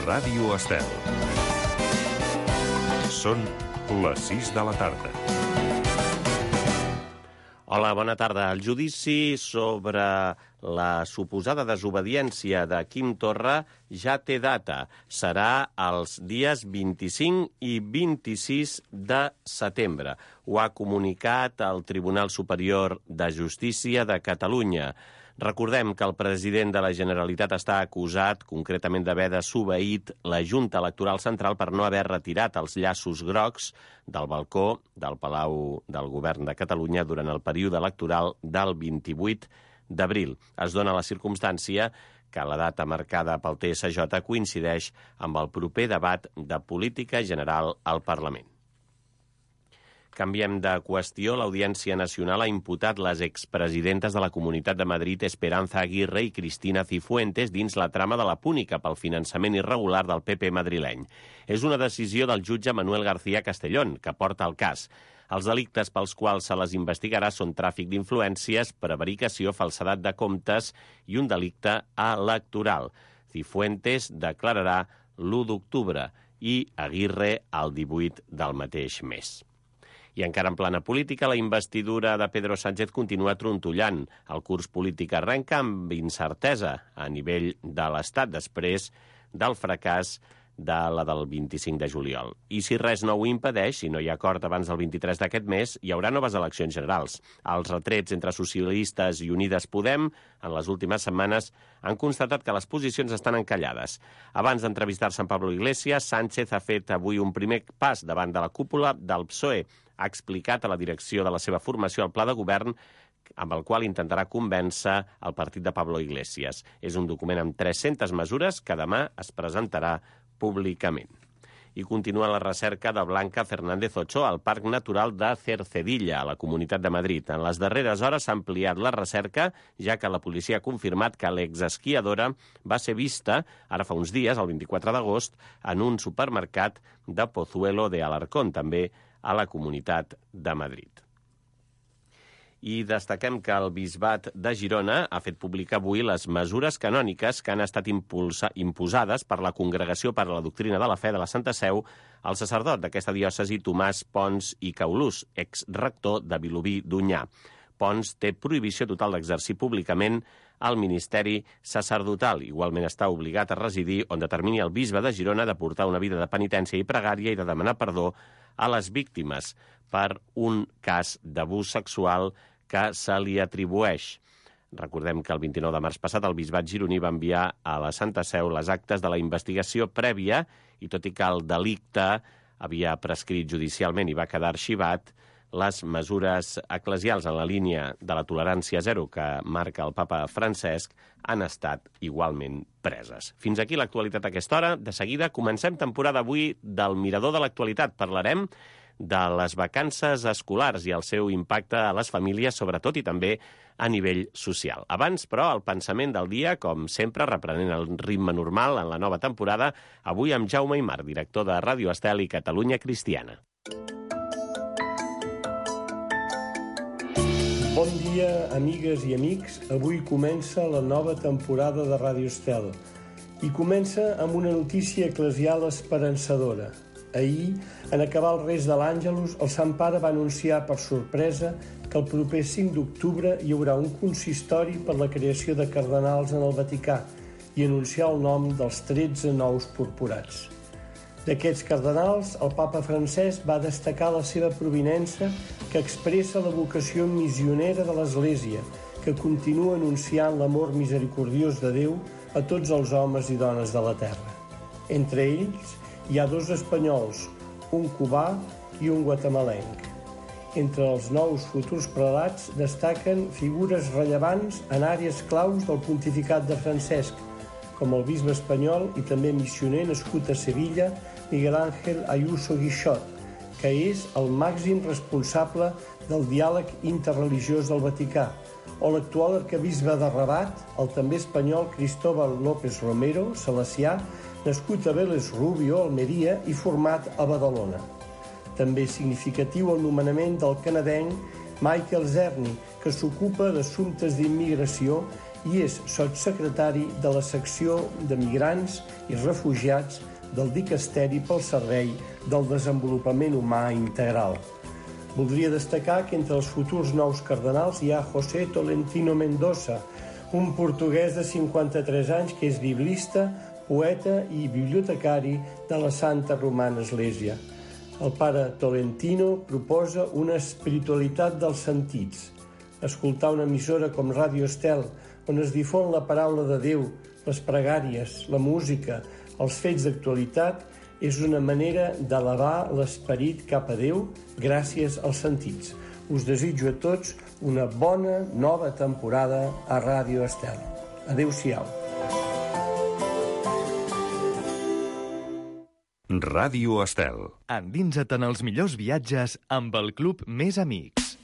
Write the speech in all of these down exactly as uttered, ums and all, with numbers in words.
Ràdio Estel. Són les sis de la tarda. Hola, bona tarda. El judici sobre la suposada desobediència de Quim Torra ja té data. Serà els dies vint-i-cinc i vint-i-sis de setembre. Ho ha comunicat el Tribunal Superior de Justícia de Catalunya. Recordem que el president de la Generalitat està acusat concretament d'haver desobeït la Junta Electoral Central per no haver retirat els llaços grocs del balcó del Palau del Govern de Catalunya durant el període electoral del vint-i-vuit d'abril. Es dona la circumstància que la data marcada pel T S J coincideix amb el proper debat de política general al Parlament. Canviem de qüestió. L'Audiència Nacional ha imputat les expresidentes de la Comunitat de Madrid, Esperanza Aguirre i Cristina Cifuentes, dins la trama de la púnica pel finançament irregular del P P madrileny. És una decisió del jutge Manuel García Castellón, que porta el cas. Els delictes pels quals se les investigarà són tràfic d'influències, prevaricació, falsedat de comptes i un delicte electoral. Cifuentes declararà l'u d'octubre i Aguirre el divuit del mateix mes. I encara en plana política, la investidura de Pedro Sánchez continua trontollant. El curs polític arrenca amb incertesa a nivell de l'Estat després del fracàs de la del vint-i-cinc de juliol. I si res no ho impedeix, si no hi ha acord abans del vint-i-tres d'aquest mes, hi haurà noves eleccions generals. Els retrets entre socialistes i Unides Podem en les últimes setmanes han constatat que les posicions estan encallades. Abans d'entrevistar-se amb Pablo Iglesias, Sánchez ha fet avui un primer pas davant de la cúpula del P S O E. Ha explicat a la direcció de la seva formació el pla de govern amb el qual intentarà convèncer el partit de Pablo Iglesias. És un document amb tres-centes mesures que demà es presentarà públicament. I continua la recerca de Blanca Fernández Ochoa al Parc Natural de Cercedilla, a la Comunitat de Madrid. En les darreres hores s'ha ampliat la recerca, ja que la policia ha confirmat que l'exesquiadora va ser vista, ara fa uns dies, el vint-i-quatre d'agost, en un supermercat de Pozuelo de Alarcón, també a la Comunitat de Madrid. I destaquem que el Bisbat de Girona ha fet publicar avui les mesures canòniques que han estat impulsa, imposades per la Congregació per a la Doctrina de la Fe de la Santa Seu al sacerdot d'aquesta diòcesi Tomàs Pons i Caulús, exrector de Vilobí d'Onyar. Pons té prohibició total d'exercir públicament el ministeri sacerdotal. Igualment està obligat a residir on determini el bisbe de Girona de portar una vida de penitència i pregària i de demanar perdó a les víctimes per un cas d'abús sexual que se li atribueix. Recordem que el vint-i-nou de març passat el bisbat gironí va enviar a la Santa Seu les actes de la investigació prèvia i tot i que el delicte havia prescrit judicialment i va quedar arxivat, les mesures eclesials en la línia de la tolerància zero que marca el papa Francesc han estat igualment preses. Fins aquí l'actualitat a aquesta hora. De seguida comencem temporada avui del Mirador de l'actualitat. Parlarem de les vacances escolars i el seu impacte a les famílies, sobretot, i també a nivell social. Abans, però, el pensament del dia, com sempre, reprenent el ritme normal en la nova temporada, avui amb Jaume Aymar, director de Ràdio Estel i Catalunya Cristiana. Bon dia, amigues i amics. Avui comença la nova temporada de Ràdio Estel i comença amb una notícia eclesial esperançadora. Ahir, en acabar el Res de l'Àngelus, el Sant Pare va anunciar per sorpresa que el proper cinc d'octubre hi haurà un consistori per la creació de cardenals en el Vaticà i anunciar el nom dels tretze nous purpurats. D'aquests cardenals, el papa Francesc va destacar la seva provinença que expressa la vocació missionera de l'Església, que continua anunciant l'amor misericordiós de Déu a tots els homes i dones de la terra. Entre ells hi ha dos espanyols, un cubà i un guatemalenc. Entre els nous futurs prelats destaquen figures rellevants en àrees claus del pontificat de Francesc, com el bisbe espanyol i també missioner nascut a Sevilla, Miguel Ángel Ayuso Guixot, que és el màxim responsable del diàleg interreligiós del Vaticà, o l'actual arquebisbe de Rabat, el també espanyol Cristóbal López Romero, salesià, nascut a Vélez Rubio, Almeria, i format a Badalona. També significatiu el nomenament del canadenc Michael Zerny, que s'ocupa d'assumptes d'immigració i és sotssecretari de la secció de Migrants i Refugiats del Dicasteri pel Servei del Desenvolupament Humà Integral. Voldria destacar que entre els futurs nous cardenals hi ha José Tolentino Mendoza, un portuguès de cinquanta-tres anys que és biblista, poeta i bibliotecari de la Santa Romana Església. El pare Tolentino proposa una espiritualitat dels sentits. Escoltar una emissora com Ràdio Estel, on es difon la paraula de Déu, les pregàries, la música, els fets d'actualitat, és una manera d'elevar l'esperit cap a Déu gràcies als sentits. Us desitjo a tots una bona nova temporada a Ràdio Estel. Adéu-siau. Ràdio Estel. Endinsa't en els millors viatges amb el Club Més Amics.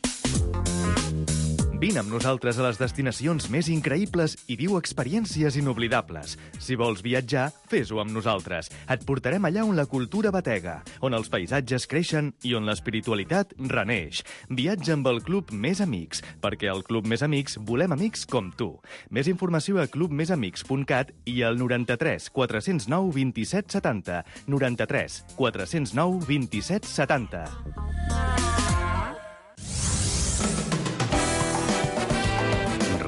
Vine amb nosaltres a les destinacions més increïbles i viu experiències inoblidables. Si vols viatjar, fes-ho amb nosaltres. Et portarem allà on la cultura batega, on els paisatges creixen i on l'espiritualitat reneix. Viatja amb el Club Més Amics, perquè al Club Més Amics volem amics com tu. Més informació a club més amics punt cat i al noranta-tres quatre zero nou vint-i-set setanta. noranta-tres quatre zero nou vint-i-set setanta.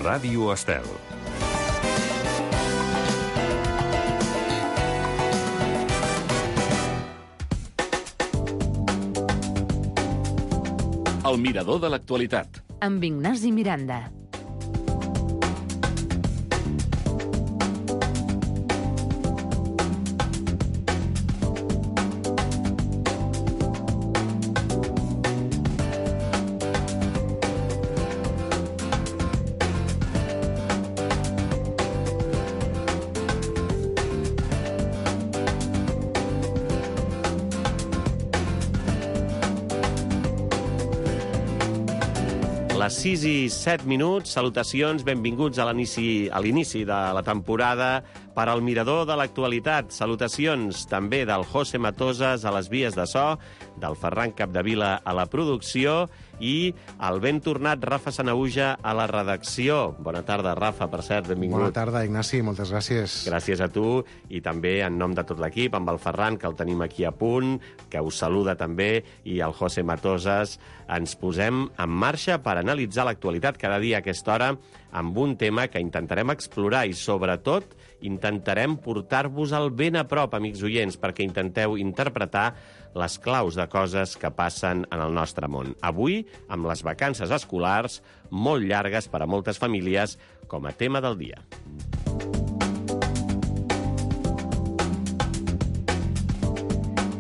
Ràdio Estel. El mirador de l'actualitat. Amb Ignasi Miranda. Les sis i set minuts, salutacions, benvinguts a l'inici a l'inici de la temporada per al Mirador de l'actualitat. Salutacions també del José Matosas a les vies de so, del Ferran Capdevila a la producció i el ben tornat Rafa Sanauja a la redacció. Bona tarda, Rafa, per cert, benvingut. Bona tarda, Ignasi, moltes gràcies. Gràcies a tu i també en nom de tot l'equip, amb el Ferran, que el tenim aquí a punt, que us saluda també, i el José Matosas. Ens posem en marxa per analitzar l'actualitat cada dia a aquesta hora amb un tema que intentarem explorar i, sobretot, intentarem portar-vos-el ben a prop, amics oients, perquè intenteu interpretar les claus de coses que passen en el nostre món. Avui, amb les vacances escolars, molt llargues per a moltes famílies, com a tema del dia.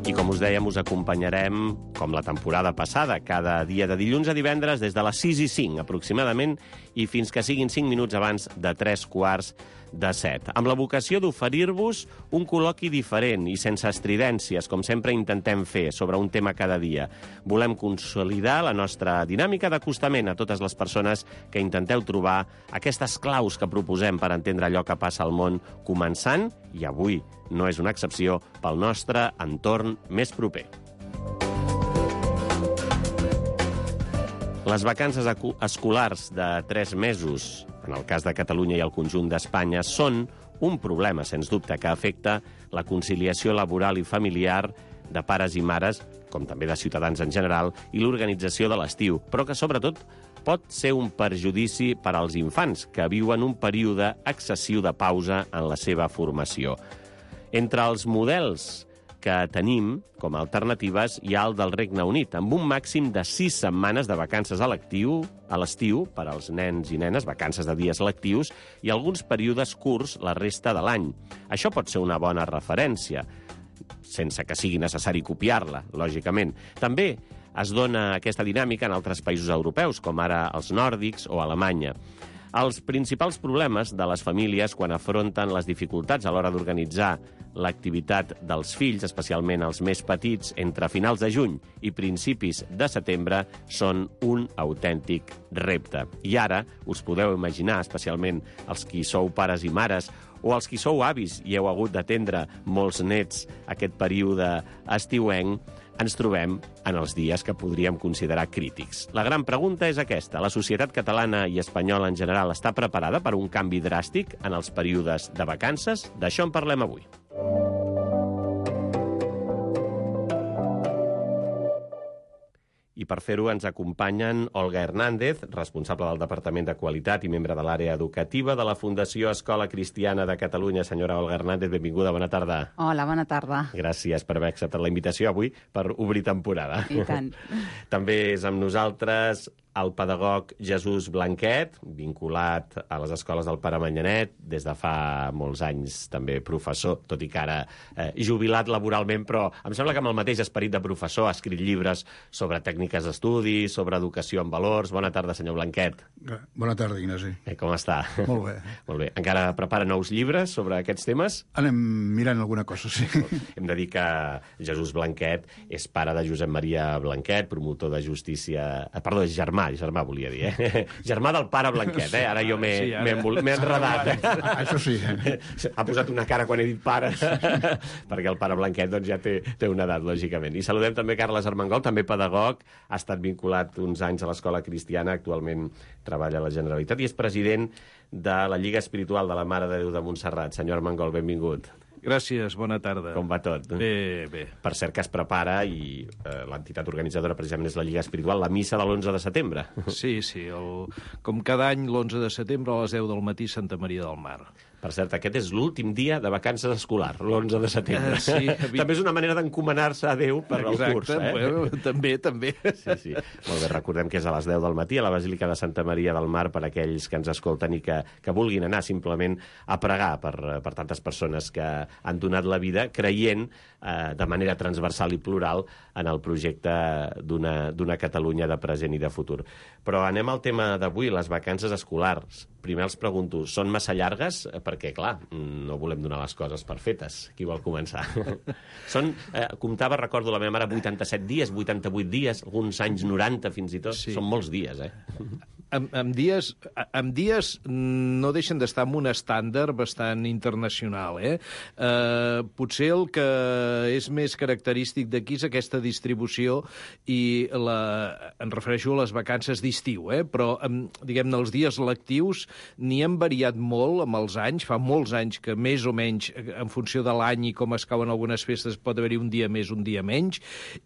I com us dèiem, us acompanyarem, com la temporada passada, cada dia de dilluns a divendres des de les sis i cinc, aproximadament, i fins que siguin cinc minuts abans de tres quarts de set. Amb la vocació d'oferir-vos un col·loqui diferent i sense estridències, com sempre intentem fer, sobre un tema cada dia. Volem consolidar la nostra dinàmica d'acostament a totes les persones que intenteu trobar aquestes claus que proposem per entendre allò que passa al món, començant, i avui no és una excepció, pel nostre entorn més proper. Les vacances escolars de tres mesos, en el cas de Catalunya i el conjunt d'Espanya, són un problema, sens dubte, que afecta la conciliació laboral i familiar de pares i mares, com també de ciutadans en general, i l'organització de l'estiu, però que, sobretot, pot ser un perjudici per als infants, que viuen un període excessiu de pausa en la seva formació. Entre els models que tenim com a alternatives hi ha el del Regne Unit, amb un màxim de sis setmanes de vacances a l'estiu, a l'estiu per als nens i nenes, vacances de dies lectius, i alguns períodes curts la resta de l'any. Això pot ser una bona referència, sense que sigui necessari copiar-la, lògicament. També es dona aquesta dinàmica en altres països europeus, com ara els nòrdics o Alemanya. Els principals problemes de les famílies quan afronten les dificultats a l'hora d'organitzar l'activitat dels fills, especialment els més petits, entre finals de juny i principis de setembre, són un autèntic repte. I ara us podeu imaginar, especialment els qui sou pares i mares, o els qui sou avis i heu hagut d'atendre molts nets aquest període estiuenc, ens trobem en els dies que podríem considerar crítics. La gran pregunta és aquesta. La societat catalana i espanyola en general està preparada per un canvi dràstic en els períodes de vacances? D'això en parlem avui. I per fer-ho ens acompanyen Olga Hernández, responsable del Departament de Qualitat i membre de l'àrea educativa de la Fundació Escola Cristiana de Catalunya. Senyora Olga Hernández, benvinguda, bona tarda. Hola, bona tarda. Gràcies per haver acceptat la invitació avui per obrir temporada. I tant. També és amb nosaltres el pedagog Jesús Blanquet, vinculat a les escoles del Pare Manyanet, des de fa molts anys també professor, tot i que ara eh, jubilat laboralment, però em sembla que amb el mateix esperit de professor ha escrit llibres sobre tècniques d'estudi, sobre educació en valors. Bona tarda, senyor Blanquet. Bona tarda, Ignasi. Eh, com està? Molt bé. Molt bé. Encara prepara nous llibres sobre aquests temes? Anem mirant alguna cosa, sí. Hem de dir que Jesús Blanquet és pare de Josep Maria Blanquet, promotor de justícia... Perdó, és germà, germà volia dir, eh? Germà del pare Blanquet, eh? Ara jo m'he sí, enredat. Això sí. Ha posat una cara quan he dit pare, perquè el pare Blanquet doncs, ja té, té una edat, lògicament. I saludem també Carles Armengol, també pedagog, ha estat vinculat uns anys a l'Escola Cristiana, actualment treballa a la Generalitat i és president de la Lliga Espiritual de la Mare de Déu de Montserrat. Senyor Armengol, benvingut. Gràcies, bona tarda. Com va tot? Bé, bé. Per cert que es prepara, i eh, l'entitat organitzadora precisament és la Lliga Espiritual, la missa de l'onze de setembre. Sí, sí. El, com cada any, l'onze de setembre, a les deu del matí, Santa Maria del Mar. Per cert, aquest és l'últim dia de vacances escolar, l'onze de setembre. Uh, sí, vi... També és una manera d'encomanar-se a Déu per Exacte, al curs. Eh? Bueno, també, també. Sí, sí. Molt bé, recordem que és a les deu del matí a la Basílica de Santa Maria del Mar per aquells que ens escolten i que, que vulguin anar simplement a pregar per, per tantes persones que han donat la vida creient eh, de manera transversal i plural en el projecte d'una Catalunya de present i de futur. Però anem al tema d'avui, les vacances escolars. Primer els pregunto, són massa llargues? Perquè, clar, no volem donar les coses per fetes. Qui vol començar? Són, eh, comptava, recordo la meva mare, vuitanta-set dies, vuitanta-vuit dies, alguns anys noranta fins i tot. Sí. Són molts dies, eh? Amb, amb, dies, amb dies no deixen d'estar en un estàndard bastant internacional, eh? eh? Potser el que és més característic d'aquí és aquesta distribució i la, em refereixo a les vacances d'estiu, eh? Però, diguem-ne, els dies lectius n'hi han variat molt amb els anys. Fa molts anys que més o menys, en funció de l'any i com es cauen algunes festes, pot haver-hi un dia més, un dia menys,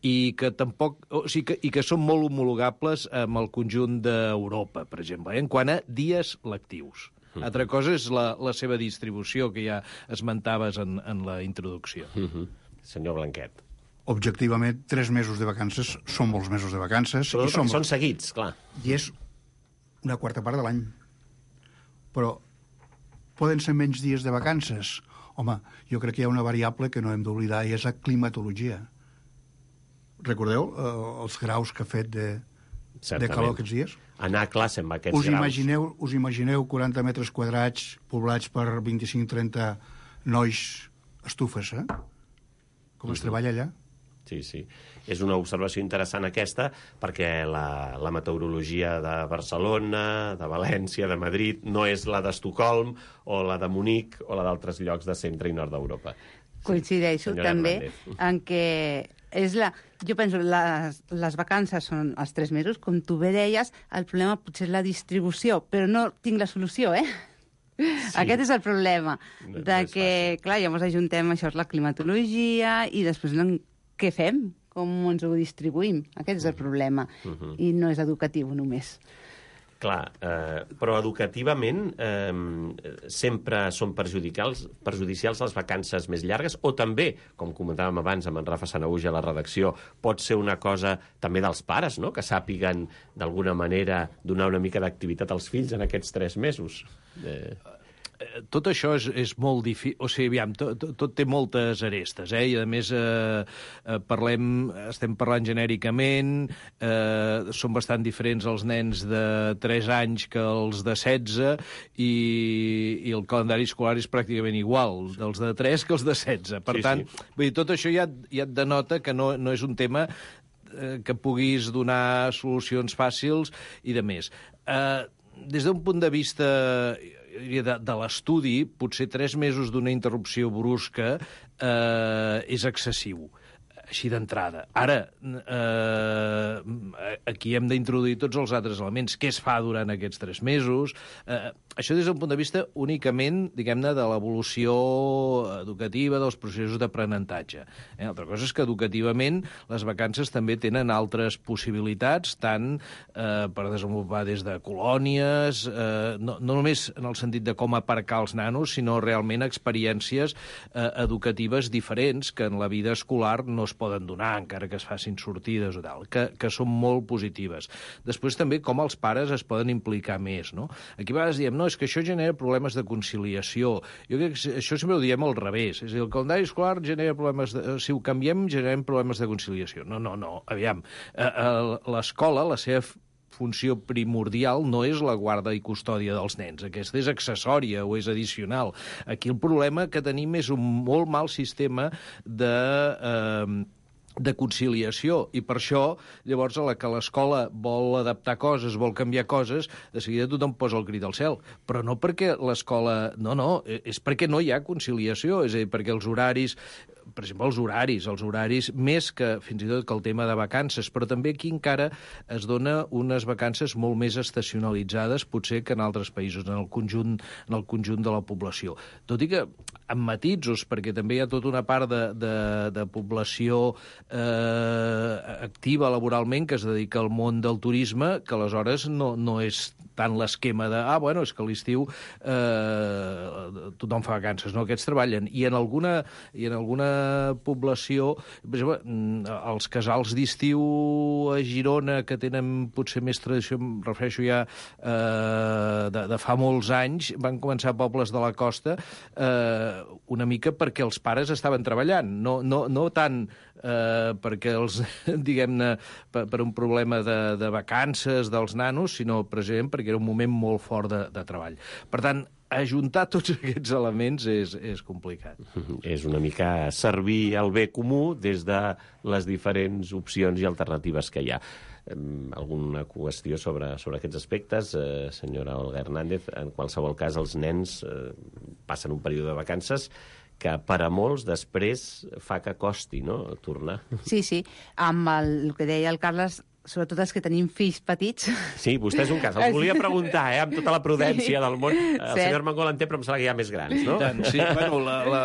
i que tampoc, o sigui que, i que són molt homologables amb el conjunt d'Europa, per exemple, eh? En quant a dies lectius. Uh-huh. Altra cosa és la, la seva distribució, que ja esmentaves en, en la introducció. Uh-huh. Senyor Blanquet. Objectivament, tres mesos de vacances són molts mesos de vacances. Però i són, són seguits, clar. I és una quarta part de l'any. Però poden ser menys dies de vacances? Home, jo crec que hi ha una variable que no hem d'oblidar i és la climatologia. Recordeu eh, els graus que ha fet de, de calor aquests dies? Anar a classe amb aquests us graus. Imagineu, us imagineu quaranta metres quadrats poblats per vint-i-cinc trenta nois estufes, eh? Com es treballa allà? Sí, sí. És una observació interessant aquesta, perquè la, la meteorologia de Barcelona, de València, de Madrid, no és la d'Estocolm o la de Munic o la d'altres llocs de centre i nord d'Europa. Coincideixo sí, també Hernández. en què és la... Jo penso, les, les vacances són els tres mesos, com tu bé deies, el problema potser és la distribució, però no tinc la solució, eh? Sí. Aquest és el problema, no, de no que, clar, llavors ajuntem, això és la climatologia, i després què fem? Com ens ho distribuïm? Aquest és el problema, uh-huh. I no és educatiu només. Clar, eh, però educativament eh, sempre són perjudicials, perjudicials les vacances més llargues, o també, com comentàvem abans amb en Rafa Sanahuja a la redacció, pot ser una cosa també dels pares, no?, que sàpiguen d'alguna manera donar una mica d'activitat als fills en aquests tres mesos. Eh... Tot això és, és molt difícil, o sigui, aviam, tot, tot té moltes arestes, eh? I a més eh, parlem, estem parlant genèricament, eh, són bastant diferents els nens de tres anys que els de setze, i, i el calendari escolar és pràcticament igual, dels de tres que els de setze. Per sí, tant, sí. Vull dir, tot això ja, ja et denota que no, no és un tema eh, que puguis donar solucions fàcils i de més. Eh, des d'un punt de vista de, de l'estudi, potser tres mesos d'una interrupció brusca eh, és excessiu. així d'entrada. Ara, eh, aquí hem d'introduir tots els altres elements. Què es fa durant aquests tres mesos? Eh, això des d'un punt de vista únicament, diguem-ne, de l'evolució educativa, dels processos d'aprenentatge. Eh, altra cosa és que educativament les vacances també tenen altres possibilitats, tant eh, per desenvolupar des de colònies, eh, no, no només en el sentit de com aparcar els nanos, sinó realment experiències eh, educatives diferents que en la vida escolar no es poden donar, encara que es facin sortides o tal, que, que són molt positives. Després també com els pares es poden implicar més, no? Aquí a vegades diem, no, és que això genera problemes de conciliació. Jo crec que això sempre ho diem al revés. És a dir, el calendari escolar genera problemes de... Si ho canviem, generem problemes de conciliació. No, no, no, aviam. L'escola, la seva funció primordial no és la guarda i custòdia dels nens. Aquesta és accessòria o és addicional. Aquí el problema que tenim és un molt mal sistema de... Eh, de conciliació, i per això, llavors, a la que l'escola vol adaptar coses, vol canviar coses, de seguida tothom posa el crit al cel. Però no perquè l'escola... No, no, és perquè no hi ha conciliació, és a dir, perquè els horaris... Per exemple, els horaris, els horaris més que fins i tot que el tema de vacances, però també aquí encara es dona unes vacances molt més estacionalitzades, potser que en altres països, en el conjunt, en el conjunt de la població. Tot i que amb matisos, perquè també hi ha tota una part de, de, de població eh, activa laboralment que es dedica al món del turisme, que aleshores no, no és tant l'esquema de, ah, bueno, és que a l'estiu eh, tothom fa vacances, no? Aquests treballen. I en alguna, i en alguna població, per exemple, els casals d'estiu a Girona, que tenen potser més tradició, em refereixo ja eh, de, de fa molts anys, van començar a pobles de la costa eh, una mica perquè els pares estaven treballant, no, no, no tant eh, perquè els, diguem-ne, per, per un problema de, de vacances dels nanos, sinó precisament perquè era un moment molt fort de, de treball. Per tant, ajuntar tots aquests elements és, és complicat. És una mica servir el bé comú des de les diferents opcions i alternatives que hi ha. Alguna qüestió sobre, sobre aquests aspectes, eh, senyora Olga Hernández? En qualsevol cas, els nens eh, passen un període de vacances que per a molts després fa que costi, no?, tornar. Sí, sí. Amb el, el que deia el Carles, sobretot els que tenim fills petits. Sí, vostè és un cas. Els volia preguntar, eh, amb tota la prudència sí. del món. El Cert. senyor Armengol en té, però em sembla que hi ha més grans, no? Tant, sí, bueno, la, la,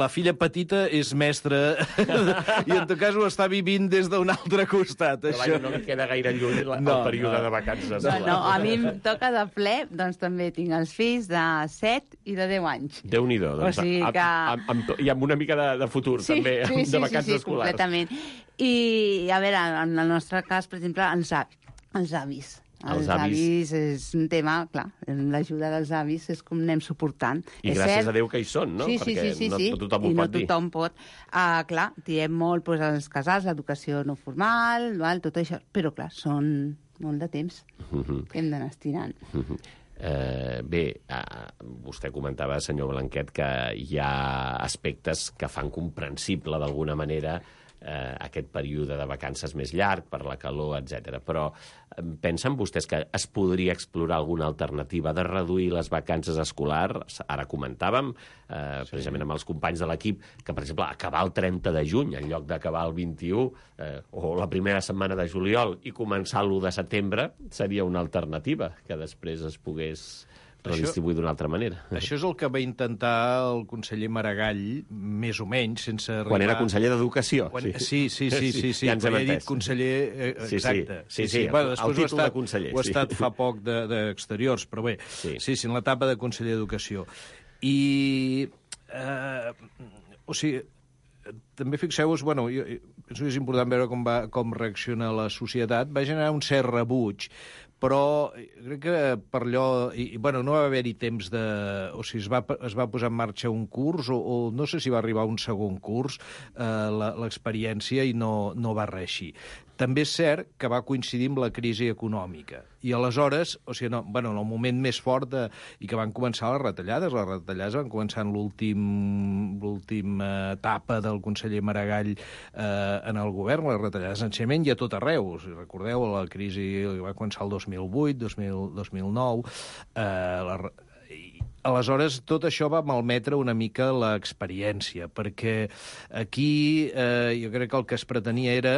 la filla petita és mestra i en tot cas ho està vivint des d'un altre costat. Però això. vaja, no li queda gaire lluny la, no, el període no. de vacances. No, no, a mi em toca de ple, doncs també tinc els fills de set i de deu anys. Déu-n'hi-do. Doncs, o sigui que... amb, amb, amb, I amb una mica de, de futur, sí, també, sí, sí, de vacances sí, sí, escolars. Completament. I, a veure, en el nostre cas, per exemple, els avis. Els avis. Els, Els avis. avis és un tema, clar, l'ajuda dels avis és com anem suportant. I és gràcies cert... a Déu que hi són, no? Sí, sí, Perquè sí, sí, no, sí. no tothom ho I no pot dir. tothom pot. Uh, clar, diem molt doncs, als casals, l'educació no formal, val, tot això, però clar, són molt de temps Uh-huh. que hem d'anar estirant. Uh-huh. Eh, bé, eh, vostè comentava, senyor Blanquet, que hi ha aspectes que fan comprensible d'alguna manera eh, aquest període de vacances més llarg per la calor, etcètera. Però eh, pensen vostès que es podria explorar alguna alternativa de reduir les vacances escolars? Ara comentàvem, eh, sí. precisament amb els companys de l'equip, que, per exemple, acabar el trenta de juny en lloc d'acabar el vint-i-u eh, o la primera setmana de juliol i començar l'u de setembre seria una alternativa que després es pogués redistribuir d'una altra manera. Això és el que va intentar el conseller Maragall, més o menys, sense arribar... Quan era conseller d'Educació. Quan... Sí, sí, sí, sí, sí. Ja ens hem he dit entès. conseller... Eh, exacte. Sí, sí, sí, sí. Bueno, el títol estat, de conseller. Ho ha sí. estat fa poc d'exteriors, de, però bé, sí. sí, sí, en l'etapa de conseller d'Educació. I... Eh, o sigui, també fixeu-vos, bueno, jo, penso que és important veure com, va, com reacciona la societat, va generar un cert rebuig, però crec que per allò... I, bueno, no va haver-hi temps de... O sigui, es va, es va posar en marxa un curs, o, o no sé si va arribar un segon curs, eh, l'experiència, i no, no va reeixir. També és cert que va coincidir amb la crisi econòmica. I aleshores, o sigui, no, bueno, en el moment més fort de, i que van començar les retallades, les retallades van començar en l'última etapa del conseller Maragall eh, en el govern, les retallades d'ensenyament hi ha tot arreu. Si recordeu, la crisi va començar el dos mil vuit, dos mil nou, eh, la, i, aleshores, tot això va malmetre una mica l'experiència, perquè aquí eh, jo crec que el que es pretenia era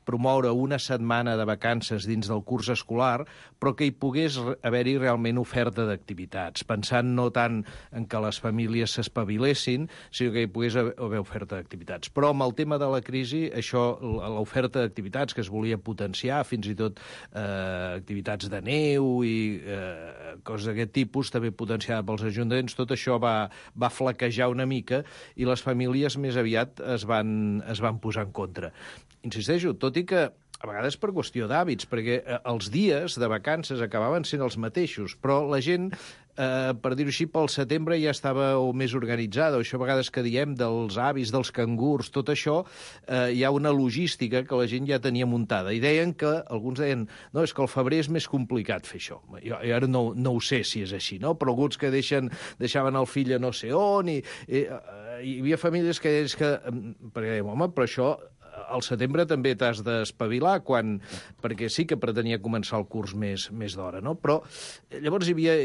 promoure una setmana de vacances dins del curs escolar, però que hi pogués haver-hi realment oferta d'activitats, pensant no tant en que les famílies s'espavilessin, sinó que hi pogués haver oferta d'activitats. Però amb el tema de la crisi, això, l'oferta d'activitats que es volia potenciar, fins i tot eh, activitats de neu i eh, coses d'aquest tipus, també potenciada pels ajuntaments, tot això va, va flaquejar una mica i les famílies més aviat es van, es van posar en contra. Insisteixo, tot i que a vegades per qüestió d'hàbits, perquè els dies de vacances acabaven sent els mateixos, però la gent, eh, per dir-ho així, pel setembre ja estava o més organitzada, o això a vegades que diem dels avis, dels cangurs, tot això, eh, hi ha una logística que la gent ja tenia muntada. I deien que, alguns deien, no, és que el febrer és més complicat fer això. Jo, jo ara no, no ho sé si és així, no? Però alguns que deixen, deixaven el fill a no sé on, i, i, i hi havia famílies que deien que, perquè deien, home, però això al setembre també t'has d'espavilar, quan, perquè sí que pretenia començar el curs més, més d'hora, no? Però llavors hi havia...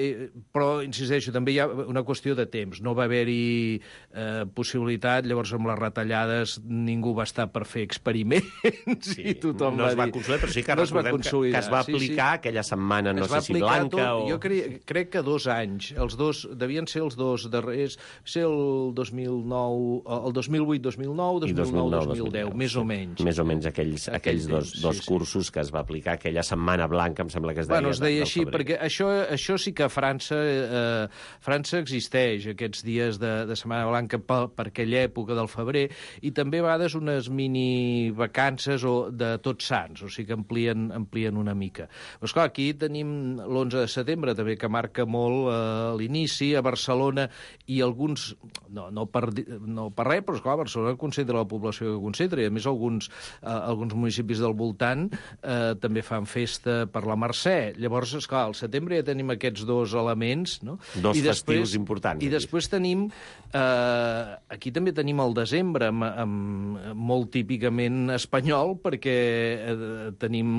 Però, insisteixo, també hi ha una qüestió de temps. No va haver-hi eh, possibilitat, llavors amb les retallades ningú va estar per fer experiments sí, i tothom no va dir... No es va consolidar, però sí que no recordem que, que es va aplicar sí, sí. aquella setmana, no sé si blanca tot, o... Jo crec, crec que dos anys. Els dos, devien ser els dos darrers... Ser el dos mil nou... El dos mil vuit dos mil nou, dos mil nou dos mil deu, més o menys. Més o menys aquells, aquells dos, dos sí, cursos sí. que es va aplicar aquella setmana blanca, em sembla que es deia. Bueno, es deia així, perquè això, això sí que a França, eh, França existeix, aquests dies de, de setmana blanca per, per aquella època del febrer, i també a vegades unes mini vacances o de Tots Sants, o sigui que amplien, amplien una mica. Però, esclar, aquí tenim l'onze de setembre, també, que marca molt eh, l'inici, a Barcelona, i alguns, no, no, per, no per res, però, esclar, Barcelona concentra la població que concentra, i a més alguns, eh, alguns municipis del voltant eh, també fan festa per la Mercè. Llavors, esclar, al setembre ja tenim aquests dos elements, no? Dos I després, festius importants. I després tenim... Eh, aquí també tenim el desembre, amb, amb, molt típicament espanyol, perquè eh, tenim,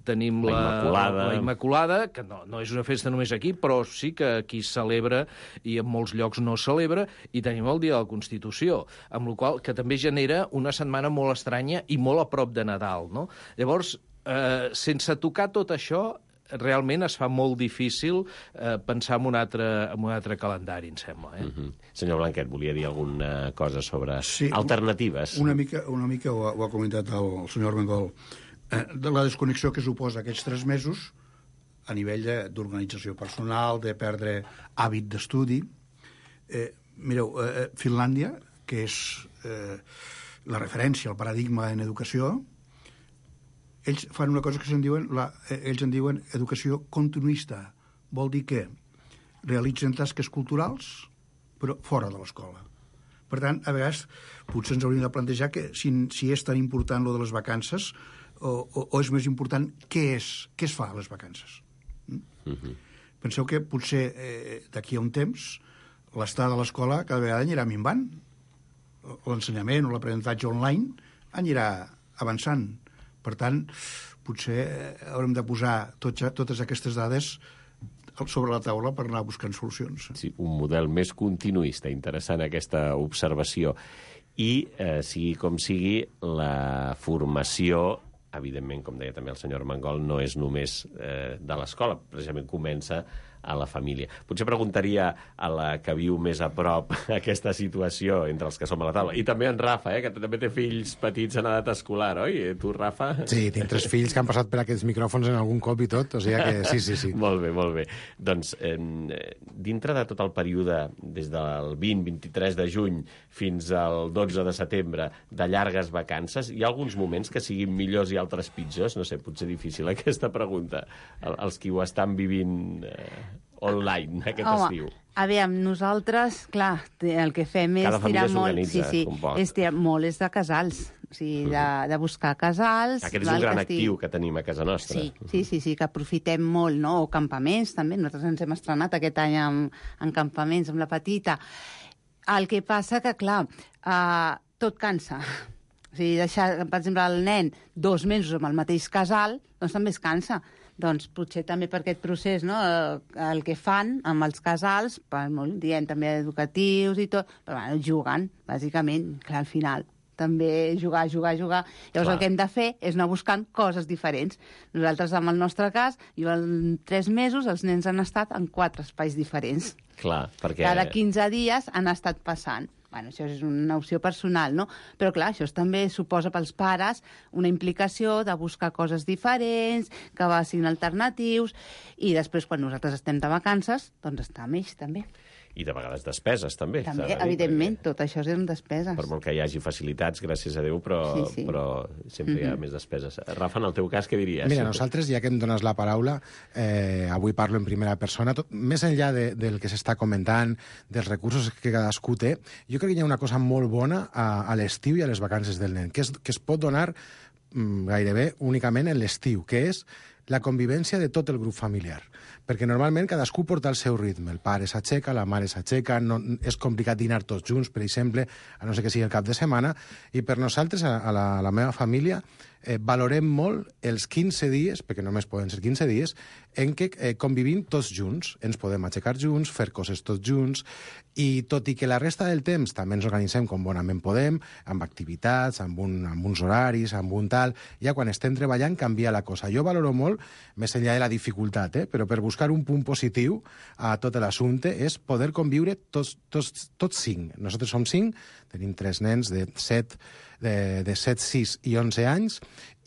tenim la, la, Immaculada. la Immaculada, que no, no és una festa només aquí, però sí que aquí es celebra i en molts llocs no es celebra, i tenim el Dia de la Constitució, amb la qual que també genera una setmana molt estranya i molt a prop de Nadal, no? Llavors, eh, sense tocar tot això, realment es fa molt difícil eh, pensar en un, altre, en un altre calendari, em sembla. Eh? Mm-hmm. Senyor Blanquet, volia dir alguna cosa sobre sí, alternatives? Una mica, una mica ho, ha, ho ha comentat el, el senyor Armengol, eh, de la desconnexió que suposa aquests tres mesos a nivell d'organització personal, de perdre hàbit d'estudi. Eh, mireu, eh, Finlàndia, que és... Eh, la referència, el paradigma en educació, ells fan una cosa que se'n diuen, la, ells en diuen educació continuista. Vol dir que realitzen tasques culturals, però fora de l'escola. Per tant, a vegades, potser ens hauríem de plantejar que si, si és tan important lo de les vacances, o, o, o és més important què és, què es fa a les vacances. Mm? Mm-hmm. Penseu que potser eh, d'aquí a un temps l'estat de l'escola cada vegada anirà minvant, l'ensenyament o l'aprenentatge online anirà avançant. Per tant, potser haurem de posar tot, totes aquestes dades sobre la taula per anar buscant solucions. Sí, un model més continuista, interessant aquesta observació. I, eh, sigui com sigui, la formació, evidentment, com deia també el senyor Armengol, no és només eh, de l'escola, precisament comença a la família. Potser preguntaria a la que viu més a prop aquesta situació entre els que som a la taula. I també en Rafa, eh, que també té fills petits en edat escolar, oi? Tu, Rafa? Sí, tinc tres fills que han passat per aquests micròfons en algun cop i tot, o sigui que sí, sí, sí. Molt bé, molt bé. Doncs, eh, dintre de tot el període, des del vint vint-i-tres de juny fins al dotze de setembre, de llargues vacances, hi ha alguns moments que siguin millors i altres pitjors? No sé, potser difícil aquesta pregunta. El, els qui ho estan vivint... Eh, online, aquest Home, estiu. Aviam, nosaltres, clar, el que fem és tirar molt... Sí, sí, és tirar molt és de casals. O sigui, de, de buscar casals... Aquest és un gran actiu que tenim a casa nostra. Sí, sí, sí, sí, que aprofitem molt, no? O campaments, també. Nosaltres ens hem estrenat aquest any en, en campaments, amb la petita. El que passa que, clar, uh, tot cansa. O sigui, deixar, per exemple, el nen dos mesos amb el mateix casal, doncs també es cansa. doncs potser també per aquest procés, no? El que fan amb els casals, per molt dient també educatius i tot, però bueno, juguen, bàsicament, clar, al final també jugar, jugar, jugar. Llavors Clar. El que hem de fer és anar buscant coses diferents. Nosaltres, en el nostre cas, jo en tres mesos els nens han estat en quatre espais diferents. Clar, perquè... Cada quinze dies han estat passant. Bueno, això és una opció personal, no? Però, clar, això també suposa pels pares una implicació de buscar coses diferents, que siguin alternatius, i després, quan nosaltres estem de vacances, doncs està amb ells, també. I de vegades despeses, també. També, evidentment, tot això són despeses. Per molt que hi hagi facilitats, gràcies a Déu, però, sí, sí. però sempre hi ha mm-hmm. més despeses. Rafa, en el teu cas, què diries? Mira, nosaltres, ja que em dones la paraula, eh, avui parlo en primera persona, tot, més enllà de, del que s'està comentant, dels recursos que cadascú té, jo crec que hi ha una cosa molt bona a, a l'estiu i a les vacances del nen, que, és, que es pot donar mm, gairebé únicament en l'estiu, que és la convivència de tot el grup familiar. Perquè normalment cadascú porta el seu ritme. El pare s'aixeca, la mare s'aixeca, no, és complicat dinar tots junts, per exemple, a no ser que sigui el cap de setmana, i per nosaltres, a, a, la, a la meva família, eh, valorem molt els quinze dies, perquè només poden ser quinze dies, en què eh, convivim tots junts. Ens podem aixecar junts, fer coses tots junts, i tot i que la resta del temps també ens organitzem com bonament podem, amb activitats, amb, un, amb uns horaris, amb un tal, ja quan estem treballant canvia la cosa. Jo valoro molt, més enllà de la dificultat, eh, però per buscar un punt positiu a tot l'assumpte és poder conviure tots, tots, tots cinc. Nosaltres som cinc, tenim tres nens de set, de, de set, sis i onze anys,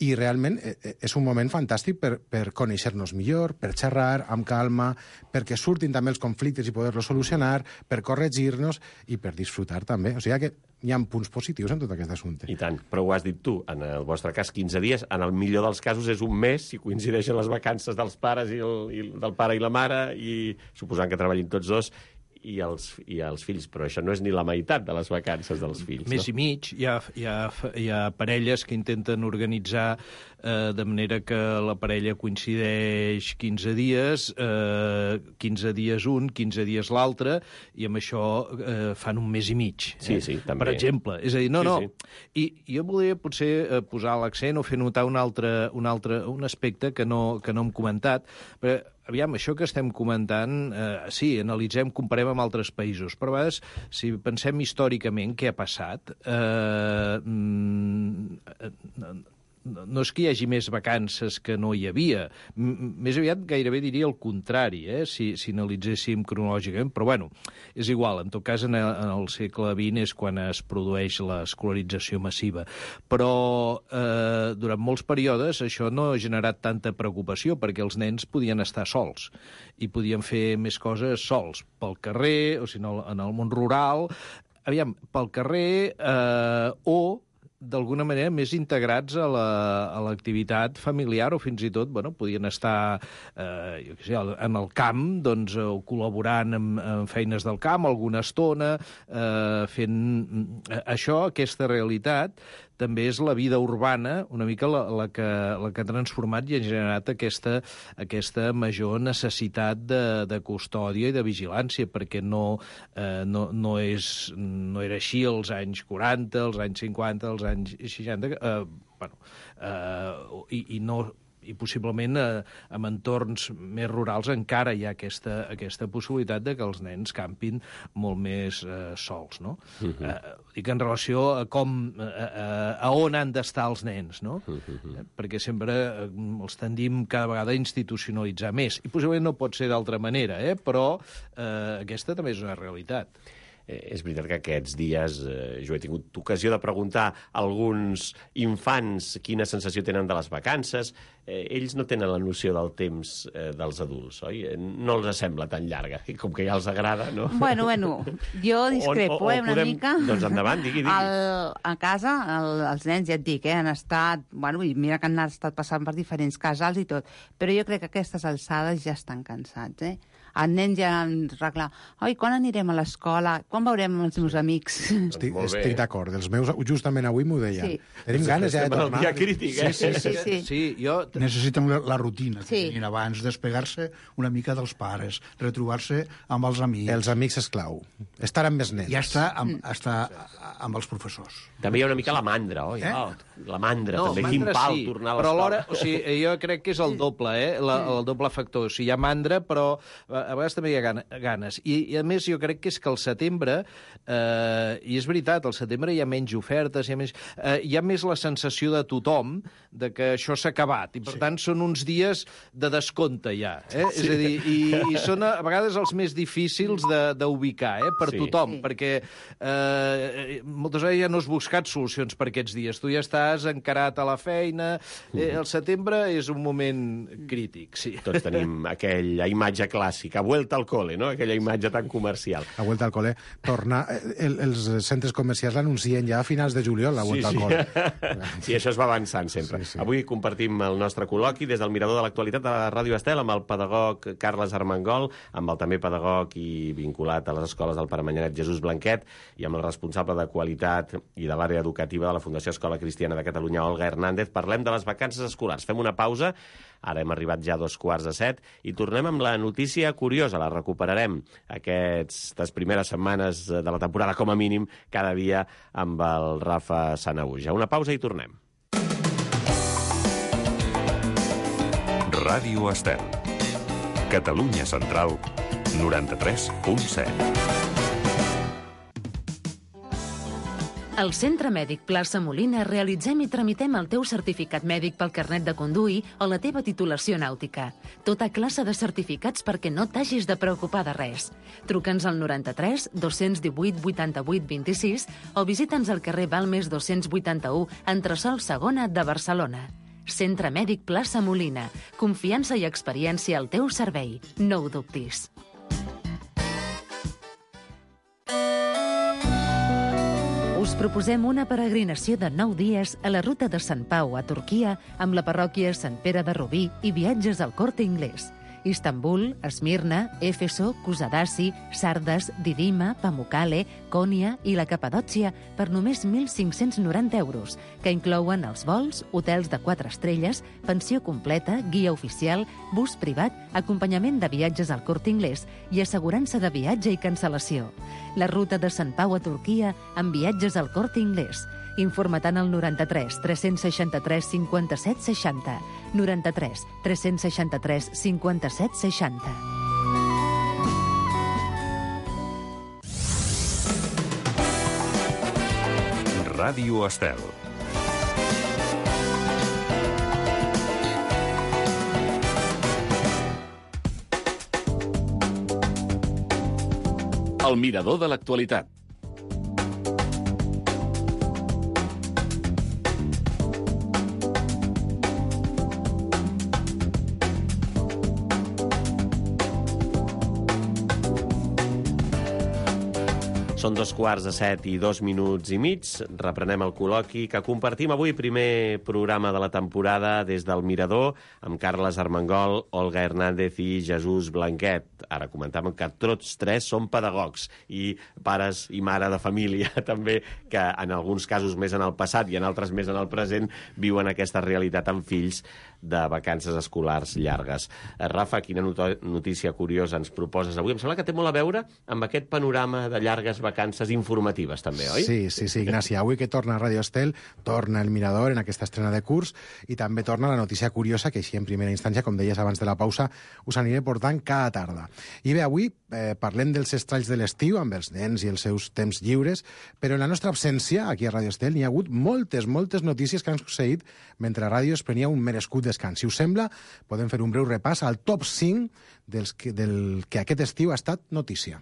i realment és un moment fantàstic per, per conèixer-nos millor, per xerrar amb calma, perquè surtin també els conflictes i poder-los solucionar, per corregir-nos i per disfrutar també. O sigui que hi ha punts positius en tot aquest assumpte. I tant, però ho has dit tu, en el vostre cas quinze dies, en el millor dels casos és un mes, si coincideixen les vacances dels pares i, el, i del pare i la mare, i suposant que treballin tots dos, i els, i els fills, però això no és ni la meitat de les vacances dels fills. Més no? i mig. Hi ha, hi, ha, hi ha parelles que intenten organitzar eh, de manera que la parella coincideix quinze dies, eh, quinze dies un, quinze dies l'altre, i amb això eh, fan un mes i mig. Eh? Sí, sí, també. Per exemple. És a dir, no, sí, no. Sí. I jo volia potser eh, posar l'accent o fer notar un altre, un altre un aspecte que no, que no hem comentat, però aviam, això que estem comentant, eh, sí, analitzem, comparem amb altres països, però a vegades, si pensem històricament què ha passat, eh, mm, no és que hi hagi més vacances que no hi havia. M més aviat gairebé diria el contrari, eh? si, si analitzéssim cronològicament, però bueno, és igual. En tot cas, en el, en el segle vint és quan es produeix l'escolarització massiva. Però eh, durant molts períodes això no ha generat tanta preocupació, perquè els nens podien estar sols i podien fer més coses sols, pel carrer, o si no, en el món rural, aviam, pel carrer eh, o d'alguna manera més integrats a l'activitat la, familiar, o fins i tot bueno, podien estar eh, jo què sé, en el camp, doncs, o col·laborant en, en feines del camp alguna estona, eh, fent això, aquesta realitat també és la vida urbana, una mica la, la, que, la que ha transformat i ha generat aquesta, aquesta major necessitat de, de custòdia i de vigilància, perquè no, eh, no, no, és, no era així als anys quaranta, als anys cinquanta, als anys seixanta, eh, bueno, eh, i, i no... i possiblement eh, en entorns més rurals encara hi ha aquesta, aquesta possibilitat de que els nens campin molt més eh, sols, no? Uh -huh. eh, dic en relació a com, eh, a on han d'estar els nens, no? Uh -huh. eh, perquè sempre eh, els tendim cada vegada a institucionalitzar més, i possiblement no pot ser d'altra manera, eh? Però eh, aquesta també és una realitat. Eh, és veritat que aquests dies eh, jo he tingut ocasió de preguntar a alguns infants quina sensació tenen de les vacances. Eh, ells no tenen la noció del temps eh, dels adults, oi? No els sembla tan llarga, i com que ja els agrada, no? Bueno, bueno, jo discrepo, o, o, o eh, una podem... mica. Doncs endavant, digui, digui. El, a casa, el, els nens, ja et dic, eh, han estat... Bueno, i mira que han estat passant per diferents casals i tot, però jo crec que a aquestes alçades ja estan cansats, eh? el nen ja ens reclama, oi, quan anirem a l'escola? Quan veurem els meus amics? Estic, estic d'acord. Els meus, justament avui m'ho deien. Sí. Tenim ganes ja de Estem en el tornar. dia crític, eh? Sí, sí, sí. Sí, jo... Necessiten la, la rutina que Sí. tenien abans, despegar-se una mica dels pares, retrobar-se amb els amics. Els amics és clau. Estar amb més nens. Ja està amb, està amb els professors. També hi ha una mica la mandra, oi? Eh? Oh, la mandra, No, també. Quin mandra pal sí, tornar a però alhora, l'escola. o sigui, jo crec que és el doble, eh? La, el doble factor. O sigui, hi ha mandra, però a a vegades també hi ha gana- ganes. I, I a més jo crec que és que al setembre, eh, i és veritat, al setembre hi ha menys ofertes, hi ha, més, eh, hi ha més la sensació de tothom de que això s'ha acabat, i per sí. tant són uns dies de descompte ja. Eh? Sí. És a dir, i, i són a, a vegades els més difícils de- d'ubicar, eh? Per Sí. tothom, Sí. perquè eh, moltes vegades ja no has buscat solucions per aquests dies. Tu ja estàs encarat a la feina. Eh, el setembre és un moment crític, sí. Tots tenim aquella imatge clàssica, vuelta al cole, no? Aquella imatge tan comercial. La vuelta al col·le. Tornar... El, els centres comercials l'anuncien ja a finals de juliol, la vuelta sí, al sí. col·le. Sí, això es va avançant sempre. Sí, sí. Avui compartim el nostre col·loqui des del Mirador de l'Actualitat de la Ràdio Estel amb el pedagog Carles Armengol, amb el també pedagog i vinculat a les escoles del Pare Manyanet Jesús Blanquet i amb el responsable de qualitat i de l'àrea educativa de la Fundació Escola Cristiana de Catalunya, Olga Hernández. Parlem de les vacances escolars. Fem una pausa. Ara hem arribat ja a dos quarts de set i tornem amb la notícia curiosa. La recuperarem aquestes primeres setmanes de la temporada, com a mínim, cada dia amb el Rafa Sanahuja. Una pausa i tornem. Ràdio Estel. Catalunya Central, noranta-tres punt set. Al Centre Mèdic Plaça Molina realitzem i tramitem el teu certificat mèdic pel carnet de conduir o la teva titulació nàutica. Tota classe de certificats perquè no t'hagis de preocupar de res. Truca'ns al noranta-tres dos divuit vuitanta-vuit vint-i-sis o visita'ns al carrer Balmes dos-cents vuitanta-u, entresòl segona de Barcelona. Centre Mèdic Plaça Molina. Confiança i experiència al teu servei. No ho dubtis. Us proposem una peregrinació de nou dies a la ruta de Sant Pau a Turquia amb la parròquia Sant Pere de Rubí i viatges al Corte Inglés. Istanbul, Esmirna, Éfeso, Kusadasi, Sardes, Didima, Pamukkale, Konya i la Capadòcia per només mil cinc-cents noranta euros, que inclouen els vols, hotels de quatre estrelles, pensió completa, guia oficial, bus privat, acompanyament de viatges al Corte Inglés i assegurança de viatge i cancel·lació. La ruta de Sant Pau a Turquia amb viatges al Corte Inglés. Informa't al noranta-tres tres seixanta-tres cinquanta-set seixanta. noranta-tres tres seixanta-tres cinquanta-set seixanta. Ràdio Estel. El mirador de l'actualitat. Són dos quarts de set i dos minuts i mig. Reprenem el col·loqui que compartim avui, primer programa de la temporada des del Mirador, amb Carles Armengol, Olga Hernández i Jesús Blanquet. Ara comentàvem que tots tres són pedagogs i pares i mare de família, també, que en alguns casos més en el passat i en altres més en el present viuen aquesta realitat amb fills de vacances escolars llargues. Eh, Rafa, quina not- notícia curiosa ens proposes avui? Em sembla que té molt a veure amb aquest panorama de llargues vacances informatives, també, oi? Sí, sí, sí, Ignasi. Avui que torna a Ràdio Estel, torna el Mirador en aquesta estrena de curs i també torna la notícia curiosa que així en primera instància, com deies abans de la pausa, us aniré portant cada tarda. I bé, avui eh, parlem dels estralls de l'estiu amb els nens i els seus temps lliures, però en la nostra absència, aquí a Ràdio Estel, n'hi ha hagut moltes, moltes notícies que han succeït mentre la ràdio es prenia un merescut descans. Si us sembla, podem fer un breu repàs al top cinc dels que, del que aquest estiu ha estat notícia.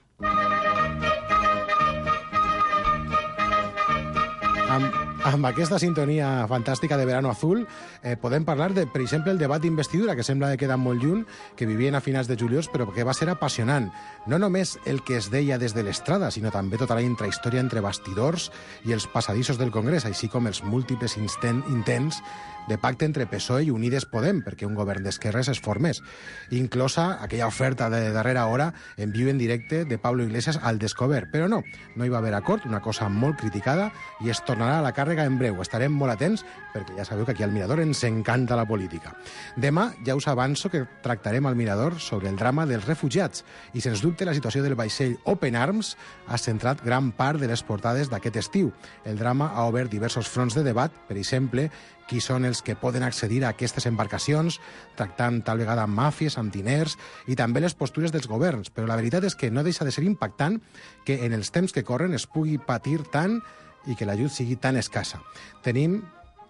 Amb, amb aquesta sintonia fantàstica de Verano Azul, eh, podem parlar de, per exemple, el debat d'investidura, que sembla que queda molt lluny, que vivien a finals de juliol, però que va ser apassionant. No només el que es deia des de l'estrada, sinó també tota la intrahistòria entre bastidors i els passadissos del Congrés, així com els múltiples intents de pacte entre P S O E i Unides Podem perquè un govern d'esquerres es formés, inclosa aquella oferta de darrera hora en viu en directe de Pablo Iglesias al Descobert. Però no, no hi va haver acord, una cosa molt criticada, i es tornarà a la càrrega en breu. Estarem molt atents perquè ja sabeu que aquí al Mirador ens encanta la política. Demà ja us avanço que tractarem al Mirador sobre el drama dels refugiats i, sens dubte, la situació del vaixell Open Arms ha centrat gran part de les portades d'aquest estiu. El drama ha obert diversos fronts de debat, per exemple, qui són els que poden accedir a aquestes embarcacions, tractant tal vegada amb màfies, amb diners, i també les postures dels governs. Però la veritat és que no deixa de ser impactant que en els temps que corren es pugui patir tant i que l'ajut sigui tan escassa. Tenim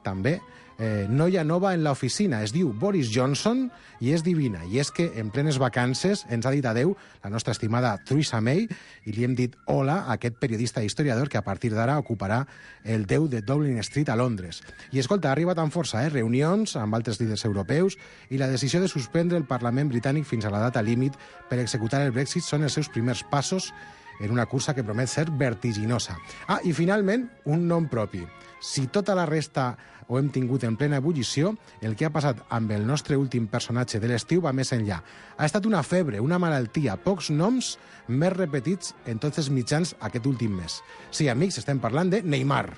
també eh, noia nova en l'oficina, es diu Boris Johnson i és divina. I és que en plenes vacances ens ha dit adeu la nostra estimada Theresa May i li hem dit hola a aquest periodista i historiador que a partir d'ara ocuparà el deu de Downing Street a Londres. I escolta, ha arribat amb força, eh? Reunions amb altres líders europeus i la decisió de suspendre el Parlament britànic fins a la data límit per executar el Brexit són els seus primers passos en una cursa que promet ser vertiginosa. Ah, i finalment, un nom propi. Si tota la resta ho hem tingut en plena ebullició, el que ha passat amb el nostre últim personatge de l'estiu va més enllà. Ha estat una febre, una malaltia, pocs noms més repetits en tots els mitjans aquest últim mes. Sí, amics, estem parlant de Neymar.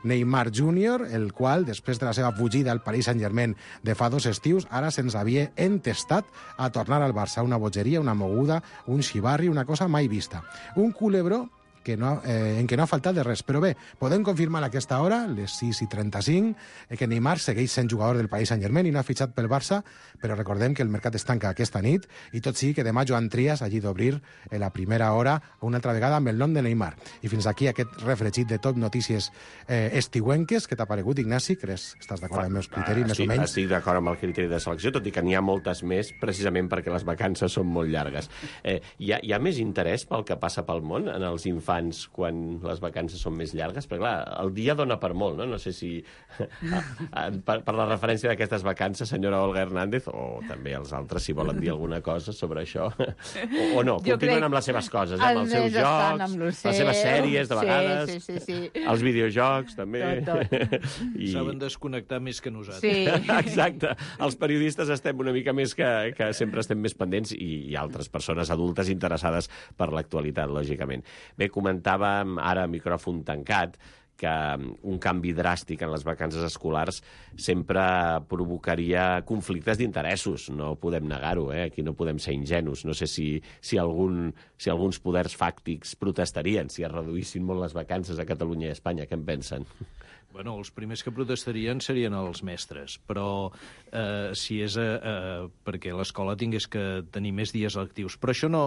Neymar júnior, el qual, després de la seva fugida al Paris Saint-Germain de fa dos estius, ara se'ns havia entestat a tornar al Barça. Una bogeria, una moguda, un xivarri, una cosa mai vista. Un culebró que no, eh, en què no ha faltat de res. Però bé, podem confirmar a aquesta hora, les sis i trenta-cinc, eh, que Neymar segueix sent jugador del Paris Saint-Germain i no ha fitxat pel Barça, però recordem que el mercat es tanca aquesta nit i tot sigui que demà Joan Trias hagi d'obrir eh, la primera hora una altra vegada amb el nom de Neymar. I fins aquí aquest refregit de tot notícies eh, estiuenques. Què t'ha paregut, Ignasi? Creus, estàs d'acord amb els meus criteris, més o menys? Estic d'acord amb el criteri de selecció, tot i que n'hi ha moltes més, precisament perquè les vacances són molt llargues. Eh, hi, ha, hi ha més interès pel que passa pel món en els infants quan les vacances són més llargues? Perquè, clar, el dia dona per molt, no? No sé si... per, per la referència d'aquestes vacances, senyora Olga Hernández, o també els altres, si volen dir alguna cosa sobre això, o, o no, jo continuen amb les seves coses, eh? amb els seus jocs, les seves sèries, de vegades, sí, sí, sí. els videojocs, també. Tot, tot. I... Saben desconnectar més que nosaltres. Sí. Exacte. Els periodistes estem una mica més que, que sempre estem més pendents i, i altres persones adultes interessades per l'actualitat, lògicament. Bé, comentàvem ara a micròfon tancat que un canvi dràstic en les vacances escolars sempre provocaria conflictes d'interessos. No podem negar-ho, eh? Aquí no podem ser ingenus. No sé si, si, algun, si alguns poders fàctics protestarien si es reduïssin molt les vacances a Catalunya i a Espanya. Què en pensen? Bueno, els primers que protestarien serien els mestres, però eh, si és eh, eh, perquè l'escola tingués que tenir més dies lectius. Però això no,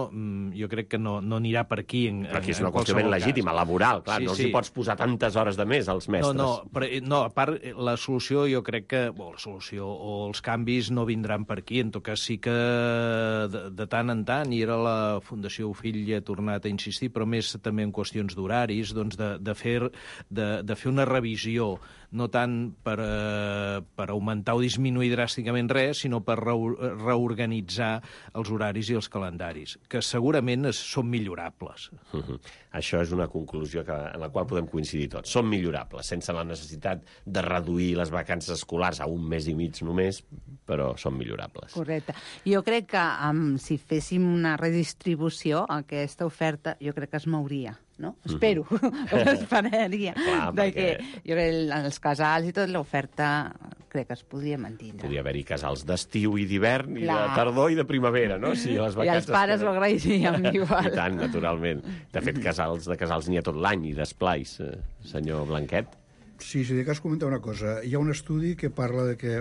jo crec que no, no anirà per aquí en, però aquí és una en qüestió ben legítima, cas. Laboral, clar, sí, no els sí. hi pots posar tantes hores de més als mestres. No, no, però, no, a part, la solució jo crec que, bueno, la solució o els canvis no vindran per aquí, en tot cas sí que de, de tant en tant, i era la Fundació Fill ha tornat a insistir, però més també en qüestions d'horaris, doncs de, de, fer, de, de fer una revisió, no tant per, eh, per augmentar o disminuir dràsticament res, sinó per re reorganitzar els horaris i els calendaris, que segurament es, són millorables. Uh-huh. Això és una conclusió que, en la qual podem coincidir tots. Són millorables, sense la necessitat de reduir les vacances escolars a un mes i mig només, però són millorables. Correcte. Jo crec que um, si féssim una redistribució, aquesta oferta jo crec que es mouria. No? Espero, mm-hmm. esperaria. Clar, de perquè... que, jo crec que els casals i tot, l'oferta crec que es podria mantindre. Podria haver-hi casals d'estiu i d'hivern, i de tardor i de primavera, no? Si les I els pares ho agrairien igual. I tant, naturalment. De fet, casals, de casals n'hi ha tot l'any, i d'esplais, eh, senyor Blanquet. Sí, si de cas comentar una cosa. Hi ha un estudi que parla de que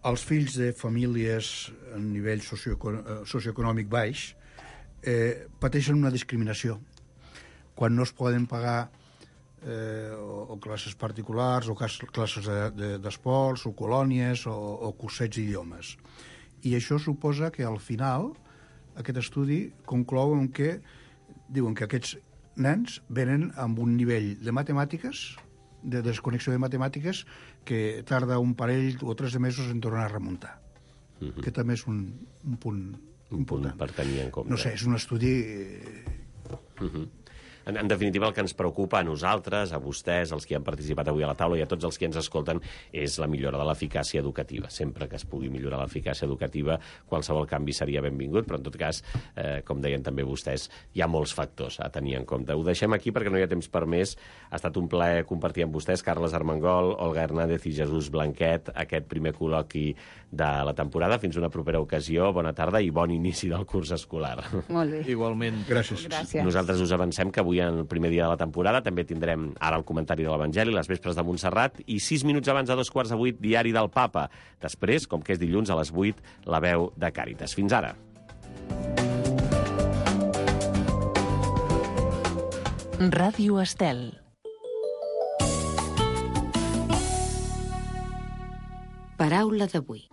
els fills de famílies a nivell socioeconòmic baix eh, pateixen una discriminació quan no es poden pagar eh, o, o classes particulars o classes d'esports de, de, o colònies o, o cursets d'idiomes. I això suposa que al final aquest estudi conclou en que diuen que aquests nens venen amb un nivell de matemàtiques de desconnexió de matemàtiques que tarda un parell o tres de mesos en tornar a remuntar. Uh-huh. Que també és un, un punt un important. Punt per tenir en compte. No sé, és un estudi... Uh-huh. En, en definitiva, el que ens preocupa a nosaltres, a vostès, els que han participat avui a la taula i a tots els que ens escolten, és la millora de l'eficàcia educativa. Sempre que es pugui millorar l'eficàcia educativa, qualsevol canvi seria benvingut, però en tot cas, eh, com deien també vostès, hi ha molts factors a tenir en compte. Ho deixem aquí perquè no hi ha temps per més. Ha estat un plaer compartir amb vostès, Carles Armengol, Olga Hernández i Jesús Blanquet, aquest primer col·loqui de la temporada. Fins una propera ocasió. Bona tarda i bon inici del curs escolar. Molt bé. Igualment. Gràcies. Gràcies. Nosaltres us avancem que avui, en el primer dia de la temporada, també tindrem ara el comentari de l'Evangeli, les vespres de Montserrat, i sis minuts abans de dos quarts de vuit, diari del Papa. Després, com que és dilluns, a les vuit, la veu de Càritas. Fins ara. Ràdio Estel. Paraula d'avui.